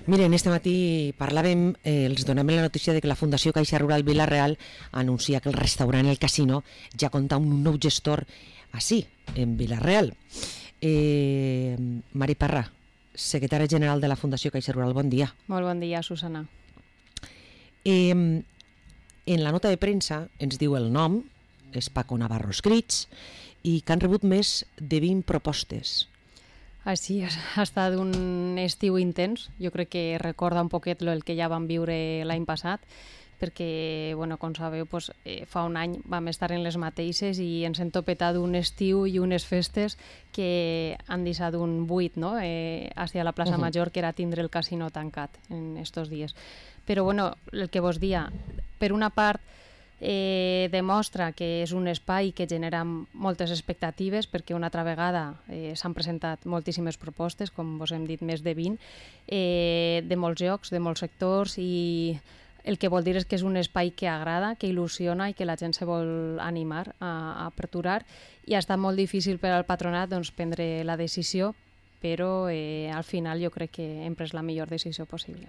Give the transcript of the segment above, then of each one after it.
Miren, este matí parlàvem, els donem la notícia de que la Fundació Caixa Rural Vila-real anuncia que el restaurant El Casino ja compta amb un nou gestor així, en Vila-real. Mari Parra, secretària general de la Fundació Caixa Rural, bon dia. Molt bon dia, Susana. En la nota de premsa ens diu el nom, és Paco Navarro Escrits, i que han rebut més de 20 propostes. Així ha estat un estiu intens, jo crec que recorda un poquet el que ja vam viure l'any passat, perquè, com sabeu, fa un any vam estar en les mateixes i ens hem topetat un estiu i unes festes que han deixat un buit, no? Hacia la plaça Major, que era tindre el casino tancat en estos dies. Però, el que vos dia, per una part, demostra que és un espai que genera moltes expectatives, perquè una altra vegada s'han presentat moltíssimes propostes, com vos hem dit, més de 20, de molts llocs, de molts sectors, i el que vol dir és que és un espai que agrada, que il·lusiona i que la gent se vol animar a aperturar, i ha estat molt difícil per al patronat prendre la decisió, però al final jo crec que hem pres la millor decisió possible.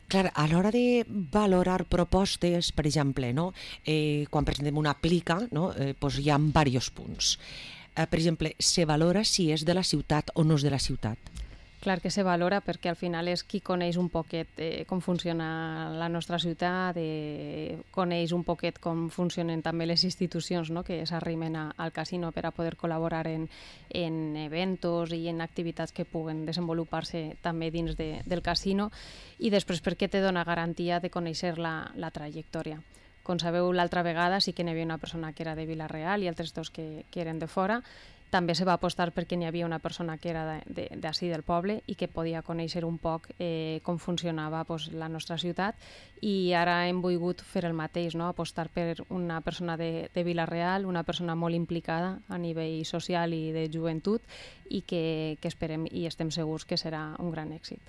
Clar, a l'hora de valorar propostes, per exemple, no? Quan presentem una plica, no? Hi ha diversos punts. Per exemple, se valora si és de la ciutat o no és de la ciutat. Clar que se valora, perquè al final és qui coneix un poquet com funciona la nostra ciutat, coneix un poquet com funcionen també les institucions, no? Que s'arrimen al casino per a poder col·laborar en eventos i en activitats que puguen desenvolupar-se també dins del casino, i després perquè te dona garantia de conèixer la trajectòria. Com sabeu, l'altra vegada sí que n'hi havia una persona que era de Vila-real i altres dos que eren de fora. També se va apostar perquè n'hi havia una persona que era d'ací del poble i que podia conèixer un poc com funcionava la nostra ciutat, i ara hem volgut fer el mateix, no? Apostar per una persona de Vila-real, una persona molt implicada a nivell social i de joventut, i que esperem i estem segurs que serà un gran èxit.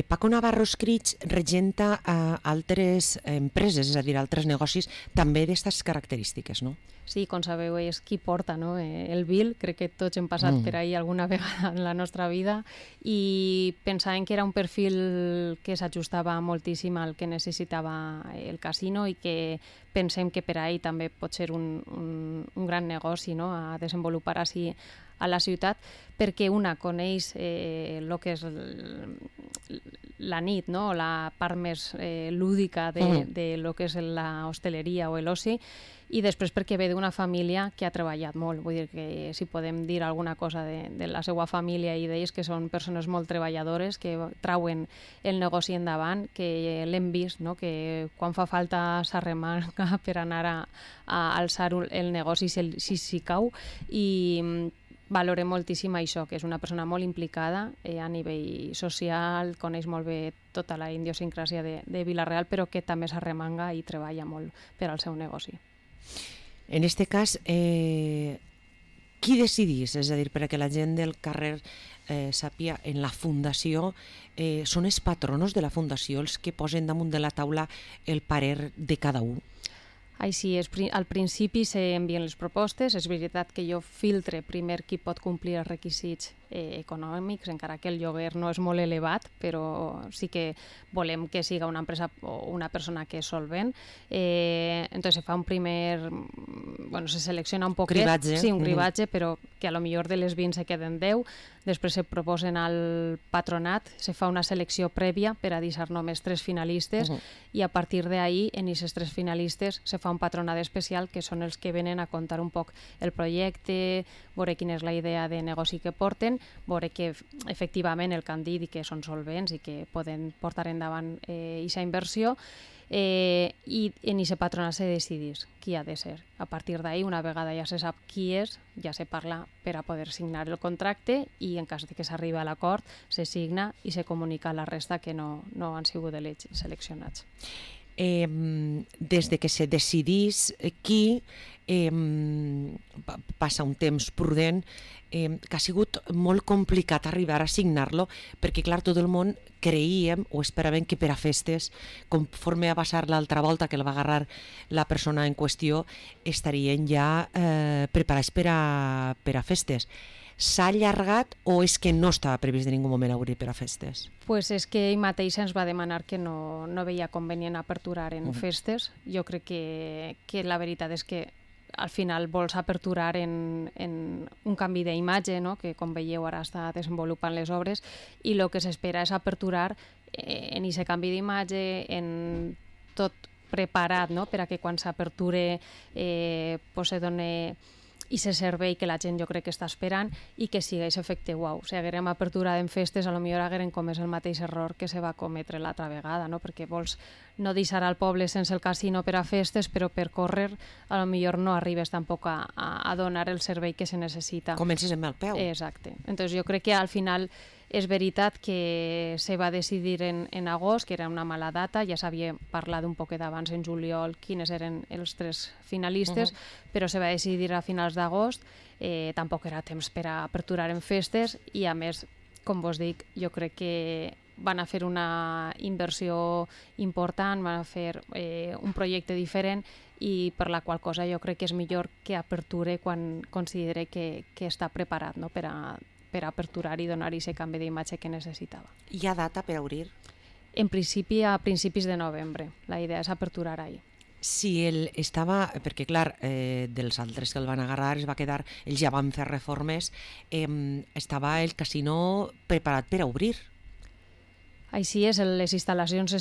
Paco Navarro Escrits regenta altres empreses, és a dir, altres negocis també d'aquestes característiques, no? Sí, com sabeu, és qui porta, no? El Vil, crec que tots hem passat per ahí alguna vegada en la nostra vida, i pensàvem que era un perfil que s'ajustava moltíssim al que necessitava el casino, i que pensem que per ahí també pot ser un gran negoci, no? A desenvolupar així a la ciutat, perquè una coneix el que és la nit, no? La part més lúdica de lo que és la hosteleria o l'oci, i després perquè ve d'una família que ha treballat molt. Vull dir que si podem dir alguna cosa de la seva família i d'ells, que són persones molt treballadores, que trauen el negoci endavant, que l'hem vist, no? Que quan fa falta s'arremanga per anar a alçar el negoci si cau, i valorem moltíssim això, que és una persona molt implicada a nivell social, coneix molt bé tota la idiosincràsia de Vila-real, però que també s'arremanga i treballa molt per al seu negoci. En aquest cas, qui decidís? És a dir, perquè la gent del carrer sàpia, en la fundació són els patronos de la fundació els que posen damunt de la taula el parer de cada un? Així és, al principi s'envien les propostes. És veritat que jo filtre primer qui pot complir els requisits econòmics, encara que el lloguer no és molt elevat, però sí que volem que siga una empresa o una persona que és solvent. Entonces se fa un primer... se selecciona un poquet. Cribatge. Sí, un cribatge, però que a lo millor de les 20 se queden 10. Després se proposen al patronat, se fa una selecció prèvia per a deixar només 3 finalistes, i a partir d'ahí, en aquests 3 finalistes, se fa un patronat especial, que són els que venen a contar un poc el projecte, veure quina és la idea de negoci que porten, veure que efectivament el que han dit i que són solvents i que poden portar endavant aquesta inversió, i en aquest patronat se decidís qui ha de ser. A partir d'ahí, una vegada ja se sap qui és, ja se parla per a poder signar el contracte, i en cas de que s'arribi a l'acord se signa i se comunica a la resta que no han sigut seleccionats. Des de que se decidís qui, passa un temps prudent, que ha sigut molt complicat arribar a signar-lo, perquè clar, tot el món creíem o esperàvem que per a festes, conforme va passar l'altra volta que el va agarrar la persona en qüestió, estarien ja preparats per a festes. s'ha allargat o és que no estava previst de ningú moment obrir per a festes? Pues és que ell mateix ens va demanar que no veia convenient aperturar en festes. Jo crec que la veritat és que al final vols aperturar en un canvi d'imatge, no? Que com veieu ara està desenvolupant les obres, i el que s'espera és aperturar en aquest canvi d'imatge, en tot preparat, no? Per a que quan s'aperture se doni i se servei que la gent jo crec que està esperant i que sigui aquest efecte uau. Si haguérem apertura en festes, potser haguérem comès el mateix error que se va cometre l'altra vegada, no? Perquè vols no deixar al poble sense el casino per a festes, però per córrer potser no arribes tampoc a donar el servei que se necessita. Comences amb el peu. Exacte. Entonces jo crec que al final és veritat que se va decidir en agost, que era una mala data, ja s'havia parlat un poc d'abans en juliol quines eren els 3 finalistes, però se va decidir a finals d'agost, tampoc era temps per a aperturar en festes i a més, com vos dic, jo crec que van a fer una inversió important, van a fer un projecte diferent i per la qual cosa jo crec que és millor que aperture quan considere que està preparat, no? per a aperturar i donar aquest canvi d'imatge que necessitava. Hi ha data per obrir? En principi a principis de novembre. La idea és aperturar ahir. Si ell estava, perquè clar, dels altres que el van agarrar es va quedar, ells ja van fer reformes, estava el casino preparat per a obrir. Així és, les instal·lacions,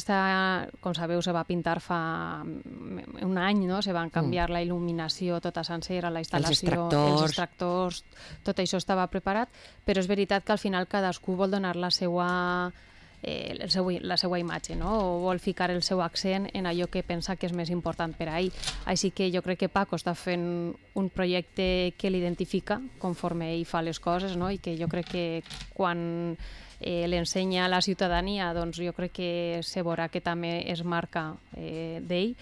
com sabeu, se va pintar fa un any, no? Se van canviar la il·luminació tota sencera, la instal·lació, els extractors, tot això estava preparat, però és veritat que al final cadascú vol donar la seva imatge, no? O vol ficar el seu accent en allò que pensa que és més important per a ell. Així que jo crec que Paco està fent un projecte que l'identifica conforme ell fa les coses, no? I que jo crec que quan l'ensenya a la ciutadania, doncs jo crec que se veurà que també es marca d'ell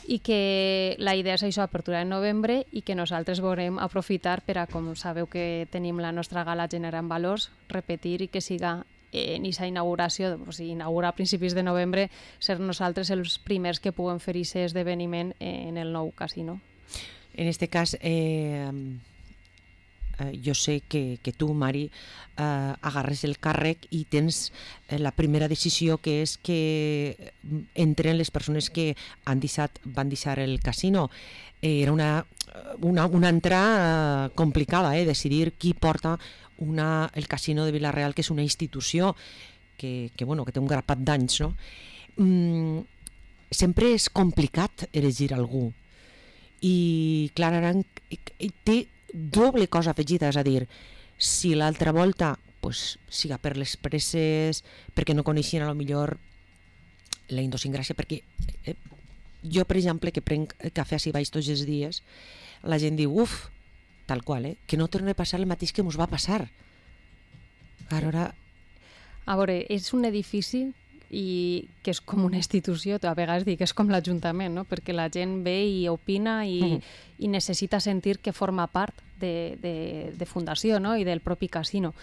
i que la idea és això, apertura en novembre i que nosaltres veurem aprofitar per a, com sabeu que tenim la nostra gala generant valors, repetir i que siga en aquesta inauguració, o sigui, inaugura a principis de novembre, ser nosaltres els primers que puguem fer aquest esdeveniment en el nou casino. En este cas, jo sé que tu, Mari, agarres el càrrec i tens la primera decisió, que és que entren les persones que van deixar el casino. Era una entrada complicada, decidir qui porta el casino de Vila-real, que és una institució que té un grapat d'anys, no? Sempre és complicat elegir algú. I clar, ara té doble cosa afegida, és a dir, si l'altra volta siga per les presses, perquè no coneixien a lo millor la idiosincràsia, perquè jo, per exemple, que prenc cafè així baix tots els dies, la gent diu, tal qual, que no torni a passar el mateix que ens va passar. Ara... A veure, és un edifici i que és com una institució, a vegades dic que és com l'Ajuntament, no? Perquè la gent ve i opina i necessita sentir que forma part de fundació, no? I del propi casino.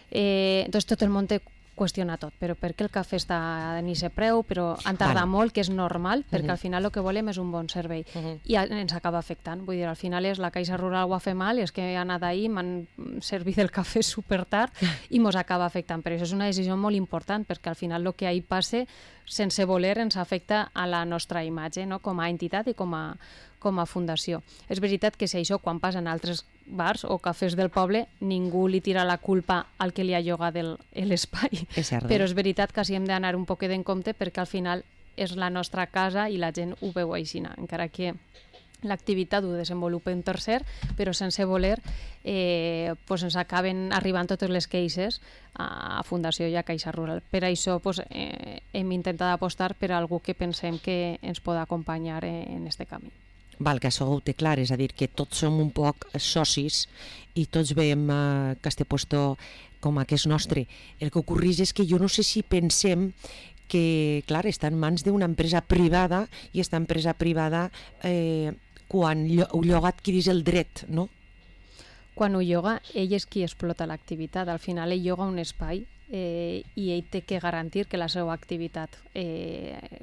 Entonces tot el món té qüestiona tot, però per què el cafè està en aquest preu, però han tardat molt, que és normal, perquè al final el que volem és un bon servei i ens acaba afectant. Vull dir, al final és la Caixa Rural ho ha fet mal, és que he anat ahir, m'han servit el cafè supertard i mos acaba afectant. Però això és una decisió molt important, perquè al final el que ahir passe, sense voler, ens afecta a la nostra imatge, no? Com a entitat i com a fundació. És veritat que si això quan passa en altres bars o cafès del poble, ningú li tira la culpa al que li ha llogat l'espai. Però és veritat que sí hem d'anar un poquet en compte perquè al final és la nostra casa i la gent ho veu així, encara que l'activitat ho desenvolupa un tercer, però sense voler ens acaben arribant totes les queixes a Fundació i a Caixa Rural. Per això hem intentat apostar per a algú que pensem que ens pot acompanyar en aquest camí. Val, que això ho té clar, és a dir, que tots som un poc socis i tots veiem que este puesto com a que és nostre. El que ocorreix és que jo no sé si pensem que, clar, està en mans d'una empresa privada i aquesta empresa privada quan ho lloga adquireix el dret, no? Quan ho lloga, ell és qui explota l'activitat. Al final ell lloga un espai i ell té que garantir que la seva activitat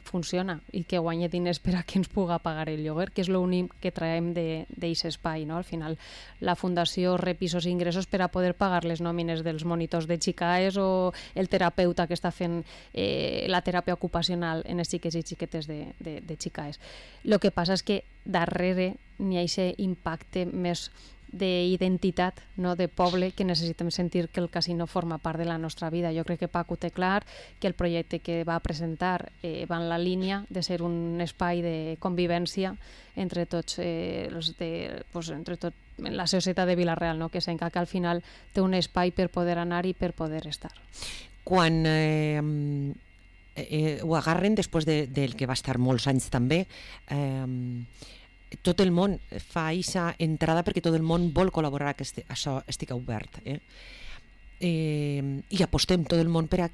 funciona i que guanyi diners per a que ens puga pagar el lloguer, que és l'únic que traiem d'aquest espai. No? Al final, la Fundació rep pisos i ingressos per a poder pagar les nòmines dels monitors de xicaes o el terapeuta que està fent la teràpia ocupacional en els xiquets i xiquetes de xicaes. El que passa és que darrere n'hi ha aquest impacte més d'identitat, no? De poble, que necessitem sentir que el casino forma part de la nostra vida. Jo crec que Paco té clar que el projecte que va presentar va en la línia de ser un espai de convivència entre tots entre tot la societat de Vila-real, no? Que sembla que al final té un espai per poder anar i per poder estar. Quan ho agarren després del que va estar molts anys també, tot el món fa aquesta entrada perquè tot el món vol col·laborar que això estigui obert. I apostem tot el món per a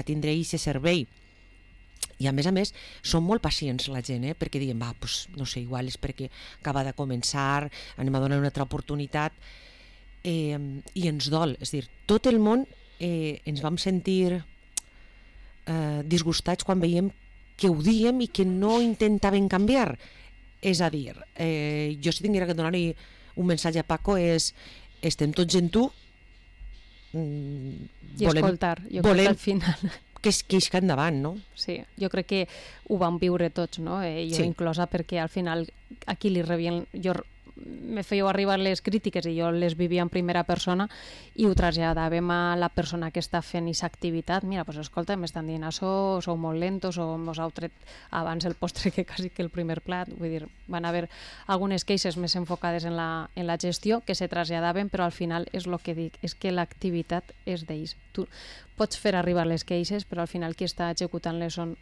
tindre aquest servei. I a més, són molt pacients la gent, perquè diem, no sé, igual és perquè acaba de començar, anem a donar una altra oportunitat, i ens dol. És a dir, tot el món ens vam sentir disgustats quan veiem que ho diem i que no intentaven canviar. És a dir, jo si tinguera que donar-li un missatge a Paco estem tots en tu i escoltar, jo crec que al final que isca endavant, no? Sí, jo crec que ho vam viure tots, no? Jo inclosa, perquè al final aquí li rebien, me fèieu arribar les crítiques i jo les vivia en primera persona i ho traslladàvem a la persona que està fent aquesta activitat. Mira, doncs escolta, m'estan dient això, sou molt lentos o mos heu tret abans el postre que quasi que el primer plat. Vull dir, van haver algunes queixes més enfocades en la gestió que se traslladaven, però al final és el que dic, és que l'activitat és d'ells. Tu pots fer arribar les queixes, però al final qui està executant-les són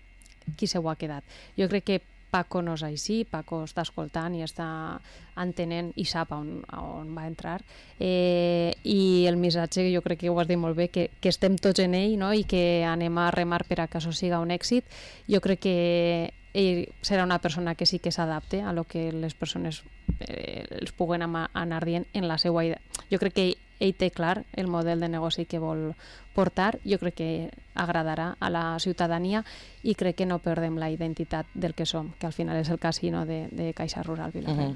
qui se ho ha quedat. Jo crec que Paco no és així, Paco està escoltant i està entenent i sap on va entrar, i el missatge, jo crec que ho has dit molt bé, que estem tots en ell, no? I que anem a remar per a que això siga un èxit. Jo crec que ell serà una persona que sí que s'adapte a lo que les persones els puguen anar dient en la seva idea. Jo crec que ell té clar el model de negoci que vol portar, jo crec que agradarà a la ciutadania i crec que no perdem la identitat del que som, que al final és el casino de Caixa Rural Vila-real.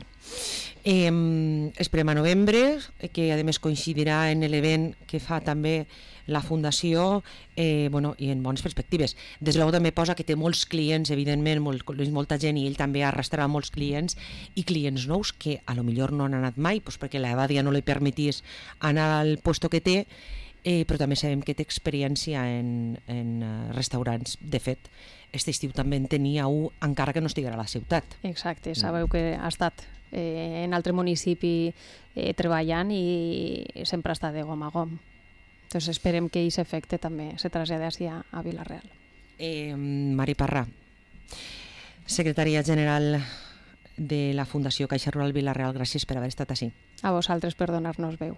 Esperem a novembre, que a més coincidirà en l'event que fa també la Fundació, i en bones perspectives. Des de luego també posa que té molts clients, evidentment, molta gent, i ell també arrastrarà molts clients, i clients nous que a lo millor no han anat mai, perquè l'Evadia no li permetís anar al puesto que té, però també sabem que té experiència en restaurants. De fet, aquest estiu també en tenia un, encara que no estiguera a la ciutat. Exacte, sabeu que ha estat en altre municipi treballant i sempre està de gom a gom. Entonces esperem que aquest efecte també se traslladi a Vila-real. Mari Parra, secretària general de la Fundació Caixa Rural Vila-real, gràcies per haver estat així. A vosaltres per donar-nos veu.